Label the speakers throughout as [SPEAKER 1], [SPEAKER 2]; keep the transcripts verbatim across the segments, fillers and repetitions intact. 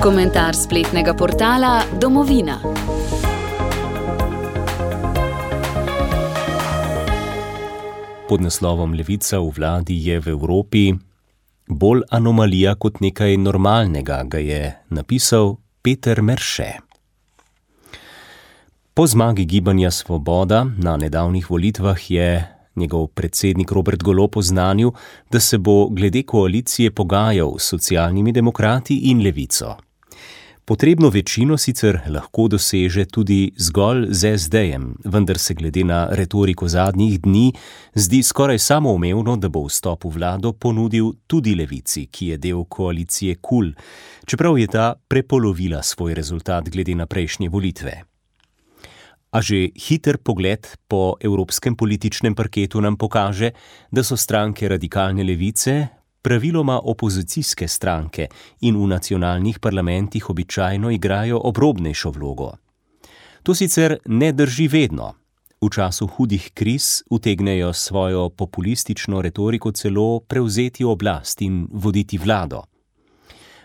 [SPEAKER 1] Komentar spletnega portala Domovina.
[SPEAKER 2] Pod naslovom Levica v vladi je v Evropi bolj anomalija kot nekaj normalnega, ga je napisal Peter Merše. Po zmagi Gibanja Svoboda na nedavnih volitvah je njegov predsednik Robert Golob oznanil, da se bo glede koalicije pogajal s Socialnimi demokrati in Levico. Potrebno večino sicer lahko doseže tudi zgolj z es dejem, vendar se glede na retoriko zadnjih dni zdi skoraj samoumevno, da bo vstop v vlado ponudil tudi Levici, ki je del koalicije KUL, čeprav je ta prepolovila svoj rezultat glede na prejšnje volitve. A že hiter pogled po evropskem političnem parketu nam pokaže, da so stranke radikalne levice praviloma opozicijske stranke in v nacionalnih parlamentih običajno igrajo obrobnejšo vlogo. To sicer ne drži vedno. V času hudih kriz utegnejo svojo populistično retoriko celo prevzeti oblast in voditi vlado.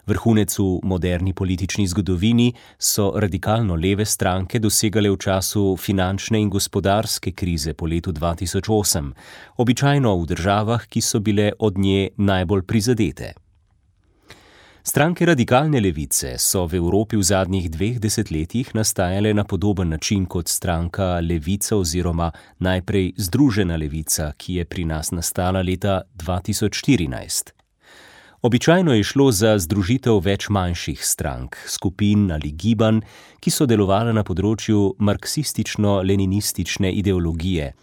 [SPEAKER 2] Vrhunec v moderni politični zgodovini so radikalno leve stranke dosegale v času finančne in gospodarske krize po letu dva tisoč osem, običajno v državah, ki so bile od nje najbolj prizadete. Stranke radikalne levice so v Evropi v zadnjih dveh desetletjih nastajale na podoben način kot stranka Levica oziroma najprej Združena levica, ki je pri nas nastala leta dva tisoč štirinajst. Običajno je šlo za združitev več manjših strank, skupin ali gibanj, ki so delovale na področju marksistično-leninistične ideologije,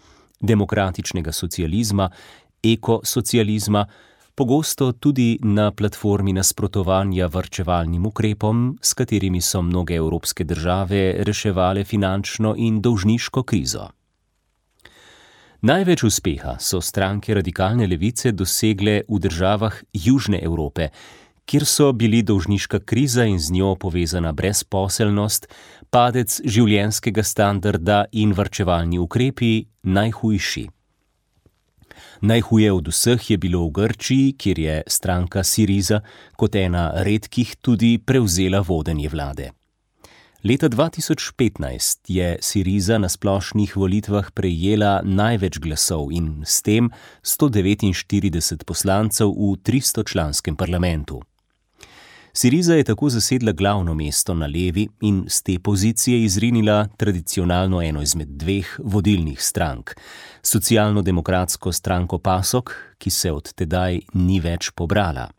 [SPEAKER 2] demokratičnega socializma, ekosocializma, pogosto tudi na platformi nasprotovanja varčevalnim ukrepom, s katerimi so mnoge evropske države reševale finančno in dolžniško krizo. Največ uspeha so stranke radikalne levice dosegle v državah Južne Evrope, kjer so bili dolžniška kriza in z njo povezana brezposelnost, padec življenjskega standarda in varčevalni ukrepi najhujši. Najhuje od vseh je bilo v Grčiji, kjer je stranka Syriza kot ena redkih tudi prevzela vodenje vlade. Leta dva tisoč petnajst je Syriza na splošnih volitvah prejela največ glasov in s tem sto devetinštirideset poslancev v tristočlanskem parlamentu. Syriza je tako zasedla glavno mesto na levi in z te pozicije izrinila tradicionalno eno izmed dveh vodilnih strank, socialno-demokratsko stranko PASOK, ki se od tedaj ni več pobrala.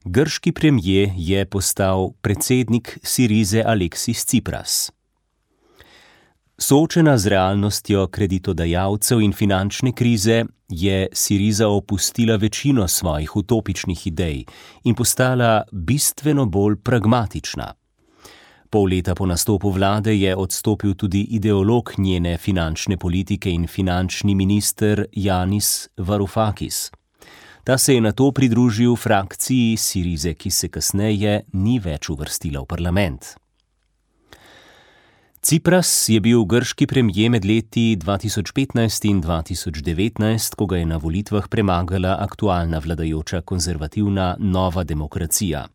[SPEAKER 2] Grški premier je postal predsednik Syrize Alexis Tsipras. Soočena z realnostjo kreditodajalcev in finančne krize je Syriza opustila večino svojih utopičnih idej in postala bistveno bolj pragmatična. Pol leta po nastopu vlade je odstopil tudi ideolog njene finančne politike in finančni minister Yanis Varoufakis. Ta se je nato pridružil frakciji Syrize, ki se kasneje ni več uvrstila v parlament. Tsipras je bil grški premier med leti dva tisoč petnajst in dva tisoč devetnajst, ko ga je na volitvah premagala aktualna vladajoča konzervativna Nova demokracija.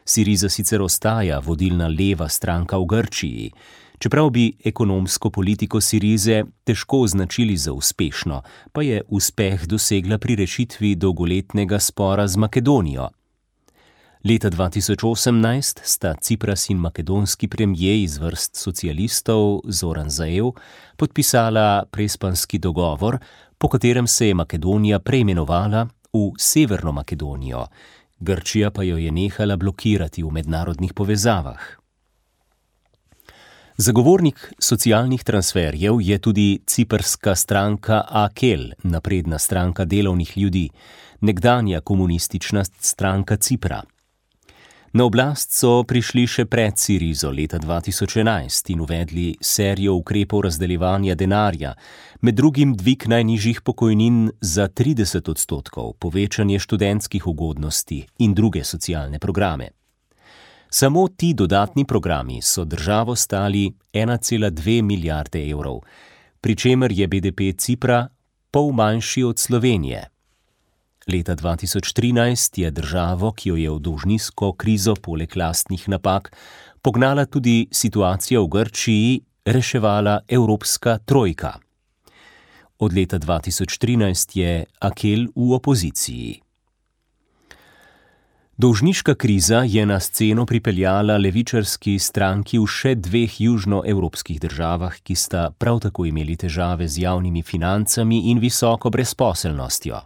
[SPEAKER 2] Syriza sicer ostaja vodilna leva stranka v Grčiji, čeprav bi ekonomsko politiko Syrize težko označili za uspešno, pa je uspeh dosegla pri rešitvi dolgoletnega spora z Makedonijo. Leta dva tisoč osemnajst sta Tsipras in makedonski premier iz vrst socialistov Zoran Zaev podpisala prespanski dogovor, po katerem se je Makedonija preimenovala v Severno Makedonijo, Grčija pa jo je nehala blokirati v mednarodnih povezavah. Zagovornik socialnih transferjev je tudi ciprska stranka A K E L, napredna stranka delovnih ljudi, nekdanja komunistična stranka Cipra. Na oblast so prišli še pred Syrizo leta dva tisoč enajst in uvedli serijo ukrepov razdeljevanja denarja, med drugim dvig najnižjih pokojnin za trideset odstotkov, povečanje študentskih ugodnosti in druge socialne programe. Samo ti dodatni programi so državo stali ena cela dve milijarde evrov, pri čemer je B D P Cipra pol manjši od Slovenije. Leta dva tisoč trinajst je državo, ki jo je v dolžniško krizo poleg lastnih napak pognala tudi situacija v Grčiji, reševala Evropska trojka. Od leta dva tisoč trinajst je Akel v opoziciji. Dolžniška kriza je na sceno pripeljala levičarski stranki v še dveh južnoevropskih državah, ki sta prav tako imeli težave z javnimi financami in visoko brezposelnostjo.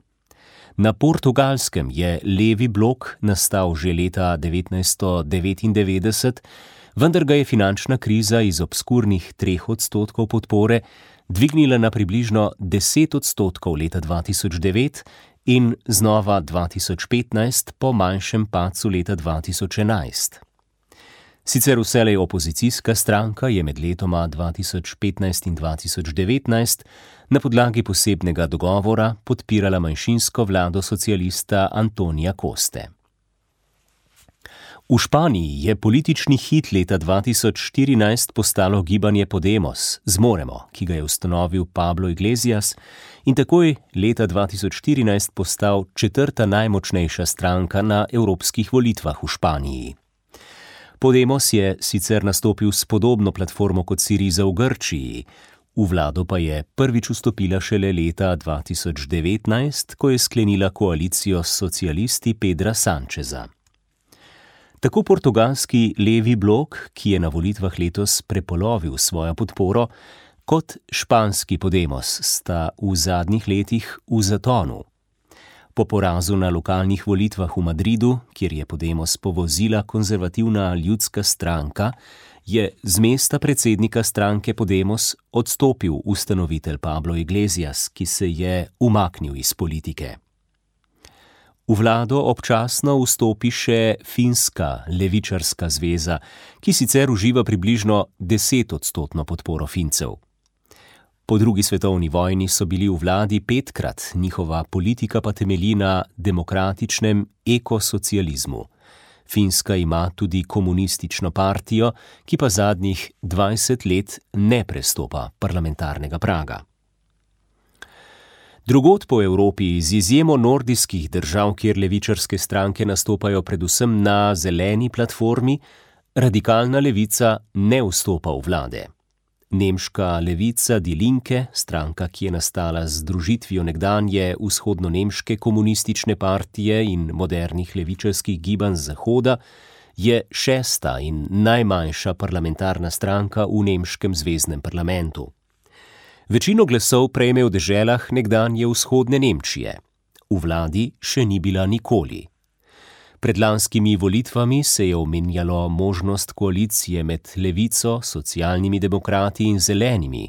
[SPEAKER 2] Na Portugalskem je levi blok nastal že leta devetnajststo devetindevetdeset, vendar ga je finančna kriza iz obskurnih treh odstotkov podpore dvignila na približno deset odstotkov leta dva tisoč devet in znova dva tisoč petnajst po manjšem padcu leta dva tisoč enajst. Sicer vselej opozicijska stranka je med letoma dva tisoč petnajst in dva tisoč devetnajst na podlagi posebnega dogovora podpirala manjšinsko vlado socialista Antonija Coste. V Španiji je politični hit leta dva tisoč štirinajst postalo gibanje Podemos, Zmoremo, ki ga je ustanovil Pablo Iglesias in takoj leta dva tisoč štirinajst postal četrta najmočnejša stranka na evropskih volitvah v Španiji. Podemos je sicer nastopil s podobno platformo kot Syriza v Grčiji, v vlado pa je prvič vstopila šele leta dva tisoč devetnajst, ko je sklenila koalicijo s socialisti Pedra Sancheza. Tako portugalski levi blok, ki je na volitvah letos prepolovil svojo podporo, kot španski Podemos sta v zadnjih letih v zatonu. Po porazu na lokalnih volitvah v Madridu, kjer je Podemos povozila konzervativna ljudska stranka, je z mesta predsednika stranke Podemos odstopil ustanovitelj Pablo Iglesias, ki se je umaknil iz politike. V vlado občasno vstopi še finska levičarska zveza, ki sicer uživa približno desetodstotno podporo Fincev. Po drugi svetovni vojni so bili v vladi petkrat, njihova politika pa temelji na demokratičnem ekosocializmu. Finska ima tudi komunistično partijo, ki pa zadnjih dvajset let ne prestopa parlamentarnega praga. Drugod po Evropi, z izjemo nordijskih držav, kjer levičarske stranke nastopajo predvsem na zeleni platformi, radikalna levica ne vstopa v vlade. Nemška levica Die Linke, stranka, ki je nastala z združitvijo nekdanje vzhodno-nemške komunistične partije in modernih levičarskih gibanj z zahoda, je šesta in najmanjša parlamentarna stranka v nemškem zveznem parlamentu. Večino glasov prejme v deželah nekdanje vzhodne Nemčije. V vladi še ni bila nikoli. Pred lanskimi volitvami se je omenjalo možnost koalicije med levico, socialnimi demokrati in zelenimi,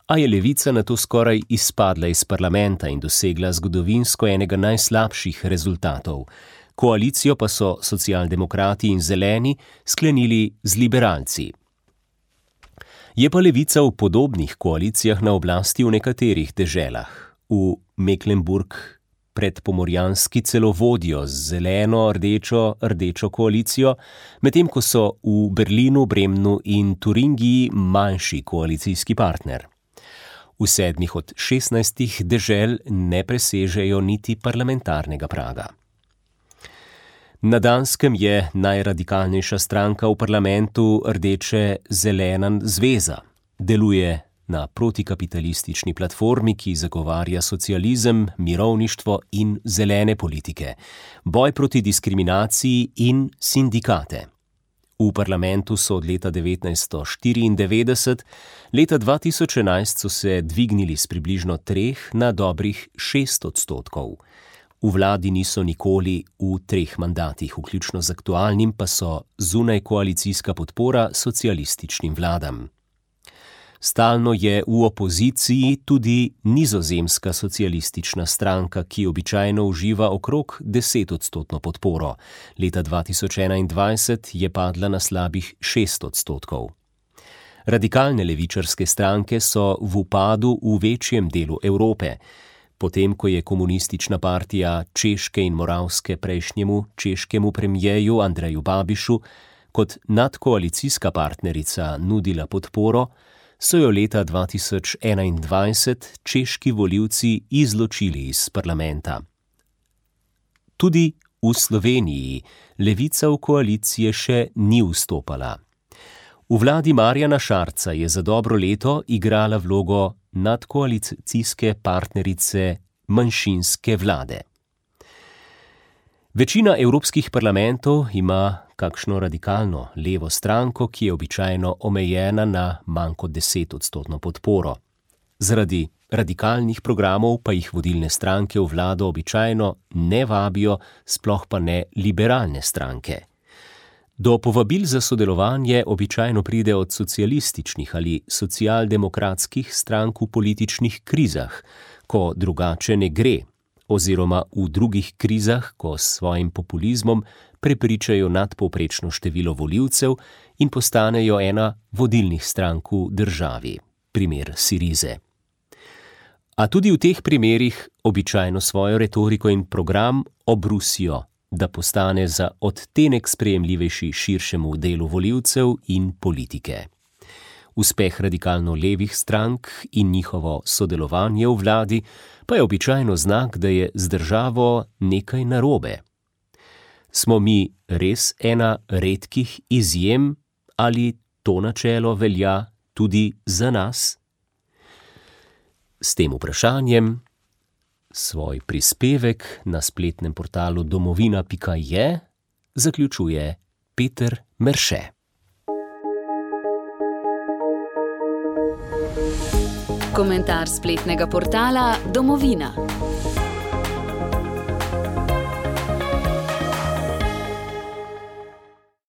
[SPEAKER 2] a je levica nato skoraj izpadla iz parlamenta in dosegla zgodovinsko enega najslabših rezultatov. Koalicijo pa so socialdemokrati in zeleni sklenili z liberalci. Je pa levica v podobnih koalicijah na oblasti v nekaterih deželah. V Mecklenburg predpomorjanski celo vodijo z zeleno-rdečo-rdečo koalicijo, medtem ko so v Berlinu, Bremnu in Turingiji manjši koalicijski partner. V sedmih od šestnajstih dežel ne presežejo niti parlamentarnega praga. Na Danskem je najradikalnejša stranka v parlamentu Rdeče-zelena zveza. Deluje na protikapitalistični platformi, ki zagovarja socializem, mirovništvo in zelene politike, boj proti diskriminaciji in sindikate. V parlamentu so od leta devetnajststo štiriindevetdeset, leta dva tisoč enajst so se dvignili s približno treh na dobrih šest odstotkov. V vladi niso nikoli v treh mandatih, vključno z aktualnim pa so zunaj koalicijska podpora socialističnim vladam. Stalno je v opoziciji tudi nizozemska socialistična stranka, ki običajno uživa okrog desetodstotno podporo. Leta dva tisoč enaindvajset je padla na slabih šest odstotkov. Radikalne levičarske stranke so v upadu v večjem delu Evrope. Potem, ko je komunistična partija Češke in Moravske prejšnjemu češkemu premijeju Andreju Babišu kot nadkoalicijska partnerica nudila podporo, so jo leta dva tisoč enaindvajset češki volivci izločili iz parlamenta. Tudi v Sloveniji Levica v koalicije še ni vstopala. V vladi Marjana Šarca je za dobro leto igrala vlogo nadkoalicijske partnerice manjšinske vlade. Večina evropskih parlamentov ima kakšno radikalno levo stranko, ki je običajno omejena na manj kot desetodstotno podporo. Zaradi radikalnih programov pa jih vodilne stranke v vlado običajno ne vabijo, sploh pa ne liberalne stranke. Do povabil za sodelovanje običajno pride od socialističnih ali socialdemokratskih strank v političnih krizah, ko drugače ne gre, oziroma v drugih krizah, ko s svojim populizmom prepričajo nadpovprečno število volivcev in postanejo ena vodilnih strank v državi, primer Syrize. A tudi v teh primerih običajno svojo retoriko in program obrusijo, da postane za odtenek sprejemljivejši širšemu delu volivcev in politike. Uspeh radikalno levih strank in njihovo sodelovanje v vladi pa je običajno znak, da je z državo nekaj narobe. Smo mi res ena redkih izjem ali to načelo velja tudi za nas? S tem vprašanjem svoj prispevek na spletnem portalu domovina pika je zaključuje Peter Merše.
[SPEAKER 1] Komentar spletnega portala Domovina.